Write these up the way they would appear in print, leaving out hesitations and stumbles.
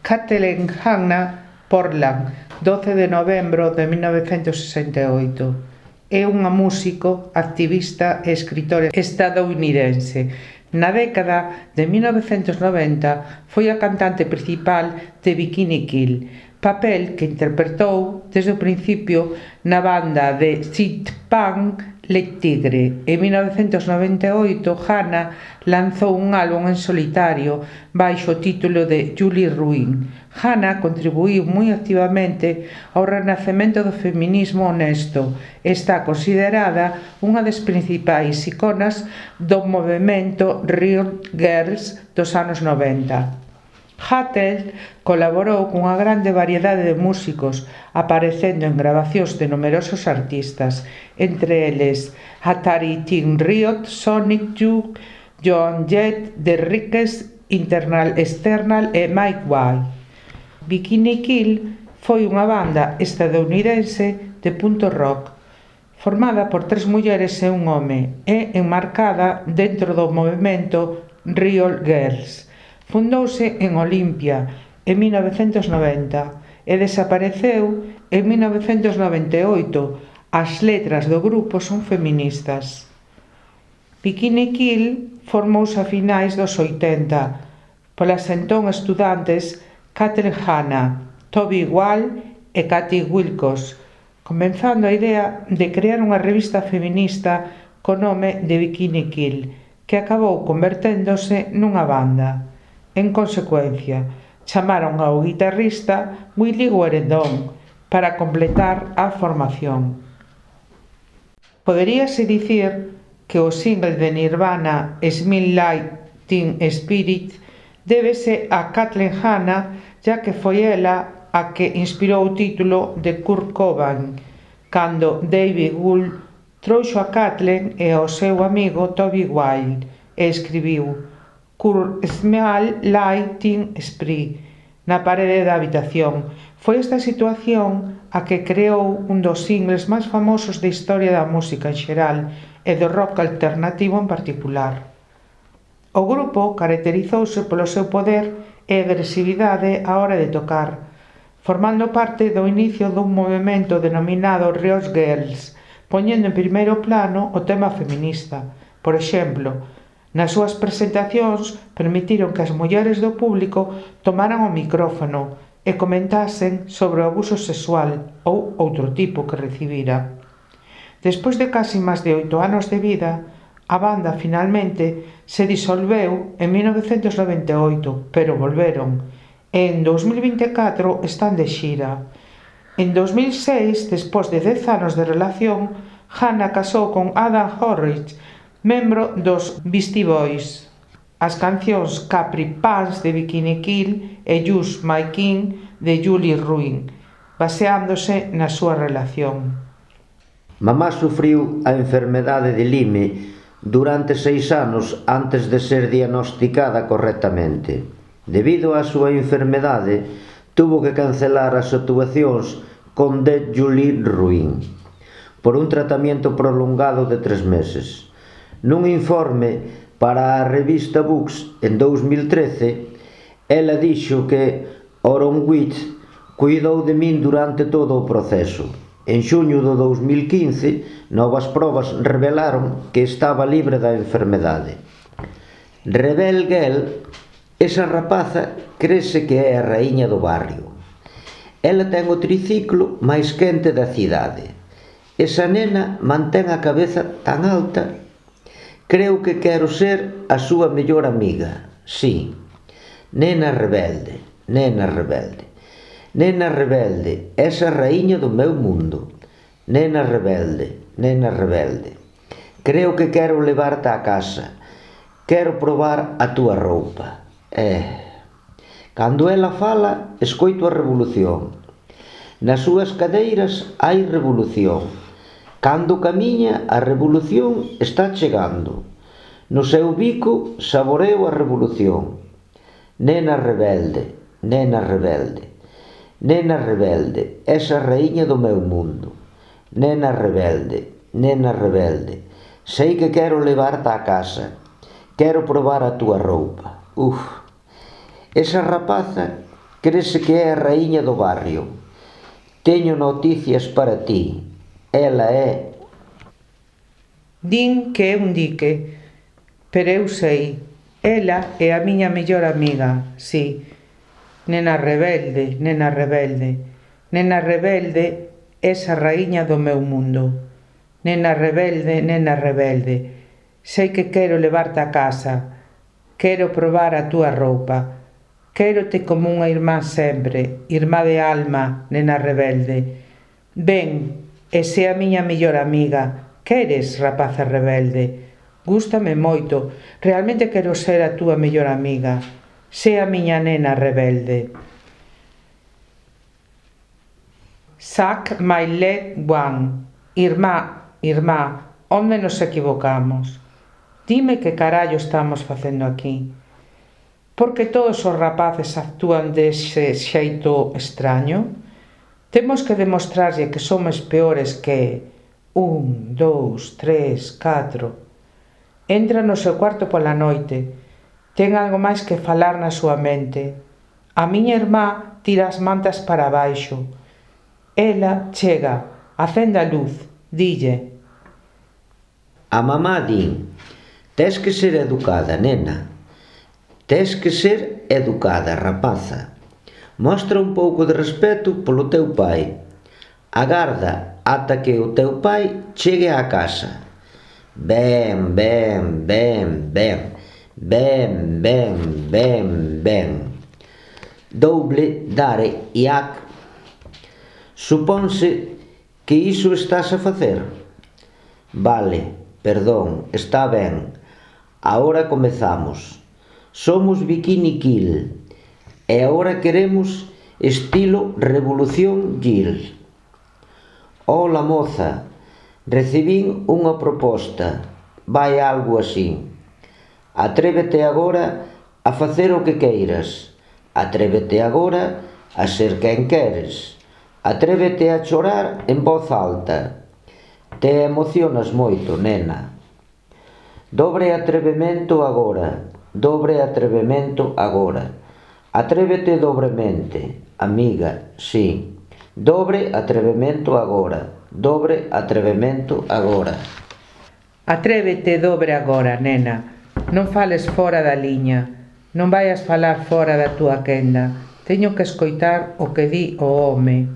Kathleen Hanna Portland, 12 de novembro de 1968. É unha músico, activista e escritora estadounidense. Na década de 1990 foi a cantante principal de Bikini Kill, papel que interpretou desde o principio na banda de Sid Punk Le Tigre. En 1998, Hanna lanzou un álbum en solitario baixo o título de Julie Ruin. Hanna contribuíu moi activamente ao renacemento do feminismo honesto e está considerada unha das principais iconas do movemento Riot Girls dos anos 90. Hattel colaborou cunha grande variedade de músicos, aparecendo en grabacións de numerosos artistas, entre eles Atari Teen Riot, Sonic Youth, Joan Jett, The Rickes, Internal External e Mike White. Bikini Kill foi unha banda estadounidense de punto rock, formada por 3 mulleres e un home, e enmarcada dentro do movemento Riot Girls. Fundouse en Olimpia en 1990 e desapareceu en 1998. As letras do grupo son feministas. Bikini Kill formouse a finais dos 80 polas entón estudantes Kathleen Hanna, Toby Wall e Katie Wilcox, comenzando a idea de crear unha revista feminista co nome de Bikini Kill, que acabou converténdose nunha banda. En consecuencia, chamaron ao guitarrista Willie Gueredón para completar a formación. Poderíase dicir que o single de Nirvana Smell Like Teen Spirit débese a Kathleen Hanna, ya que foi ela a que inspirou o título de Kurt Cobain, cando David Wohl trouxo a Kathleen e ao seu amigo Toby Wilde e escribiu Kurt Smell Like Teen Spirit na parede da habitación. Foi esta situación a que creou un dos singles máis famosos da historia da música en xeral e do rock alternativo en particular. O grupo caracterizouse polo seu poder e agresividade á hora de tocar, formando parte do inicio dun movemento denominado Riot Girls, poñendo en primeiro plano o tema feminista. Por exemplo, nas súas presentacións permitiron que as mulleres do público tomaran o micrófono e comentasen sobre o abuso sexual ou outro tipo que recibira. Despois de casi máis de 8 anos de vida, a banda finalmente se disolveu en 1998, pero volveron. En 2024 están de xira. En 2006, despois de 10 anos de relación, Hanna casou con Adam Horrich, membro dos Beastie Boys. As cancións Capri Pants de Bikini Kill e Use My King de Julie Ruin, baseándose na súa relación. Mamá sufriu a enfermedade de Lyme durante 6 anos antes de ser diagnosticada correctamente. Debido á súa enfermedade, tuvo que cancelar as actuacións con The Julie Ruin por un tratamento prolongado de 3 meses. Nun informe para a revista Books en 2013, ela dixo que Oron Witt cuidou de min durante todo o proceso. En xuño do 2015, novas probas revelaron que estaba libre da enfermedade. Rebel Girl, esa rapaza crese que é a raíña do barrio. Ela ten o triciclo máis quente da cidade. Esa nena mantén a cabeza tan alta. Creo que quero ser a súa mellor amiga. Sí, nena rebelde, nena rebelde. Nena rebelde, esa raíña do meu mundo. Nena rebelde, nena rebelde. Creo que quero levarte á casa. Quero probar a túa roupa. Cando ela fala, escoito a revolución. Nas súas cadeiras hai revolución. Cando camiña, a revolución está chegando. No seu bico, saboreo a revolución. Nena rebelde, nena rebelde. Nena rebelde, esa raíña do meu mundo. Nena rebelde, nena rebelde. Sei que quero levarte á casa. Quero probar a túa roupa. Esa rapaza Crese que é a raíña do barrio. Teño noticias para ti. Ela é... Din que é un dique, pero eu sei. Ela é a miña mellor amiga, sí. Nena rebelde, nena rebelde. Nena rebelde, esa raíña do meu mundo. Nena rebelde, nena rebelde. Sei que quero levarte a casa. Quero probar a túa roupa. Quérote como unha irmá sempre, irmá de alma, nena rebelde. Ven, e sé a miña mellor amiga. Queres, rapaza rebelde? Gústame moito, realmente quero ser a túa mellor amiga. Sé a miña nena rebelde. Suck my leg one. Irmá, irmá, onde nos equivocamos? Dime que carallo estamos facendo aquí. Porque todos os rapaces actúan dese xeito extraño? Temos que demostrarlle que somos peores que 1, 2, 3, 4. Entra no seu cuarto pola noite. Ten algo máis que falar na súa mente. A miña irmá tira as mantas para baixo. Ela chega, acende a luz, dille. A mamá din: tes que ser educada, nena. Tes que ser educada, rapaza. Mostra un pouco de respeto polo teu pai. Agarda ata que o teu pai chegue á casa. Ben, ben, ben, ben. Ben, ben, ben, ben. Double, dare, iac. Suponse que iso estás a facer? Vale, perdón, está ben. Agora comezamos. Somos Bikini Kill e agora queremos estilo Revolución Gil. Ola, moza, recibín unha proposta. Vai algo así. Atrévete agora a facer o que queiras. Atrévete agora a ser quen queres. Atrévete a chorar en voz alta. Te emocionas moito, nena. Dobre atrevemento agora. Dobre atrevemento agora. Atrévete dobremente, amiga, sí. Dobre atrevemento agora. Dobre atrevemento agora. Atrévete dobre agora, nena. Non fales fora da liña. Non vayas falar fora da túa quenda. Teño que escoitar o que di o home.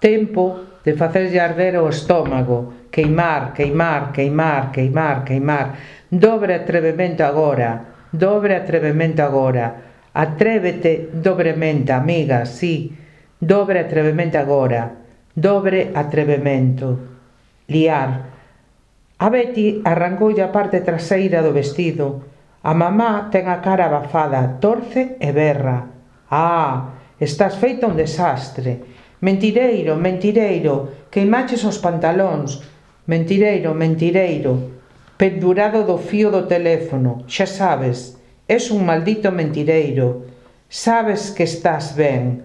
Tempo de facerlle arder o estómago. Queimar, queimar, queimar, queimar, queimar. Dobre atrevemento agora. Dobre atrevemento agora. Atrévete dobremente, amiga, sí. Dobre atrevemento agora. Dobre atrevemento. Liar. A Betty arrancoulle a parte traseira do vestido. A mamá ten a cara abafada, torce e berra. Estás feito un desastre. Mentireiro, mentireiro, queimaches os pantalóns. Mentireiro, mentireiro. Pendurado do fío do teléfono, xa sabes. Es un maldito mentireiro. Sabes que estás ben.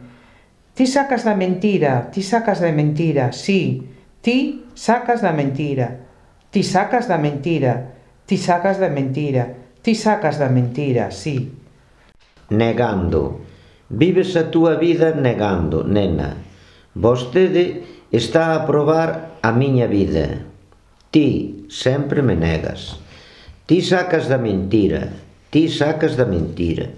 Ti sacas da mentira, ti sacas da mentira, sí. Ti sacas da mentira. Ti sacas da mentira, ti sacas da mentira, ti sacas da mentira, sí. Negando. Vives a túa vida negando, nena. Vostede está a probar a miña vida. Ti sempre me negas. Ti sacas da mentira, ti sacas da mentira.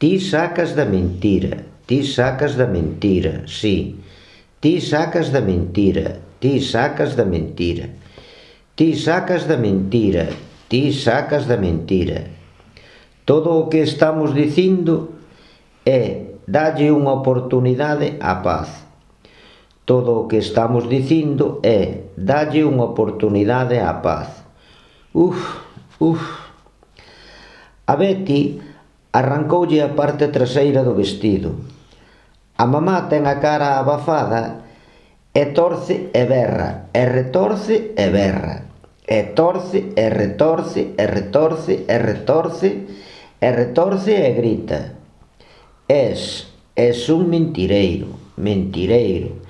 Ti sacas da mentira, ti sacas da mentira, sí. Ti sacas da mentira, ti sacas da mentira. Ti sacas da mentira, ti sacas da mentira. Todo o que estamos dicindo é dalle unha oportunidade á paz. Todo o que estamos dicindo é dalle unha oportunidade á paz. A Betty arrancoulle a parte traseira do vestido. A mamá ten a cara abafada e torce e berra, e retorce e berra. E torce, e retorce, e retorce, e retorce, e retorce e grita. Es un mentireiro, mentireiro,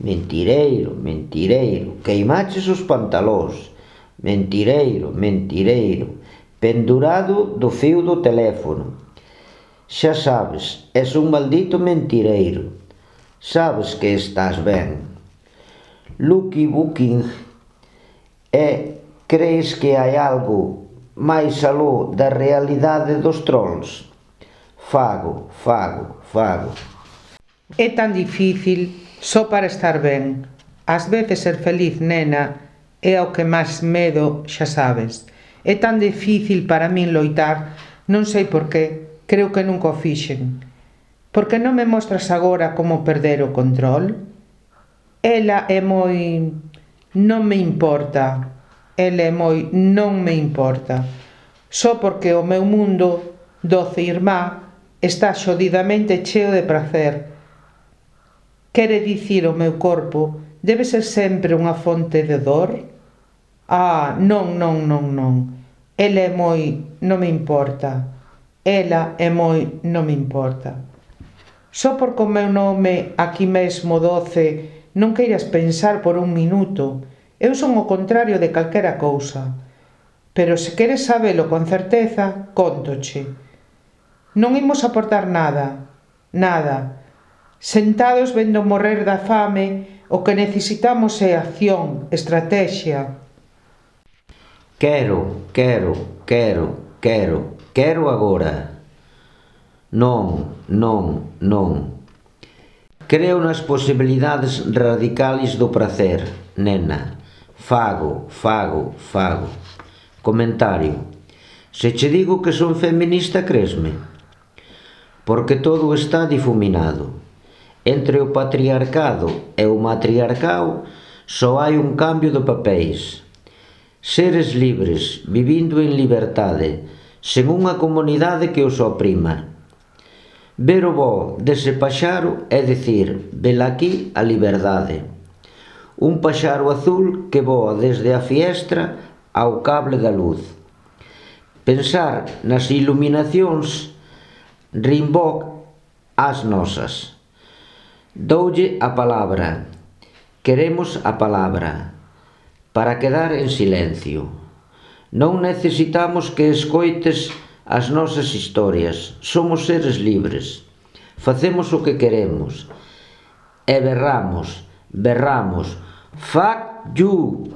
mentireiro, mentireiro, queimaches os pantalóns, mentireiro, mentireiro, pendurado do fío do teléfono. Xa sabes, és un maldito mentireiro. Sabes que estás ben. Lucky Booking crees que hai algo máis aló da realidade dos trolls? Fago. É tan difícil só para estar ben. Ás veces ser feliz, nena, é ao que máis medo, xa sabes. É tan difícil para min loitar, non sei por qué, creo que nunca o fixen. Por que non me mostras agora como perder o control? Ela é moi... non me importa. Ela é moi... non me importa. Só porque o meu mundo, doce irmá, está xodidamente cheo de prazer. Quere dicir o meu corpo debe ser sempre unha fonte de dor? Non. Ela é moi... non me importa. Ela é moi... non me importa. Só porque o meu nome aquí mesmo 12 non queiras pensar por un minuto. Eu son o contrario de calquera cousa. Pero se queres sabelo con certeza, cóntoche. Non imos aportar nada. Sentados vendo morrer da fame, o que necesitamos é acción, estrategia. Quero agora. Non. Creo nas posibilidades radicales do prazer, nena. Fago. Comentario. Se che digo que son feminista, cresme? Porque todo está difuminado. Entre o patriarcado e o matriarcado só hai un cambio de papéis. Seres libres, vivindo en liberdade, sen unha comunidade que os oprima. Ver o voo dese paxaro é dicir, velaquí a liberdade. Un paxaro azul que voa desde a fiestra ao cable da luz. Pensar nas iluminacións Rimbaud ás nosas. Doulle a palabra. Queremos a palabra. Para quedar en silencio. Non necesitamos que escoites as nosas historias. Somos seres libres. Facemos o que queremos. E berramos. Fuck you!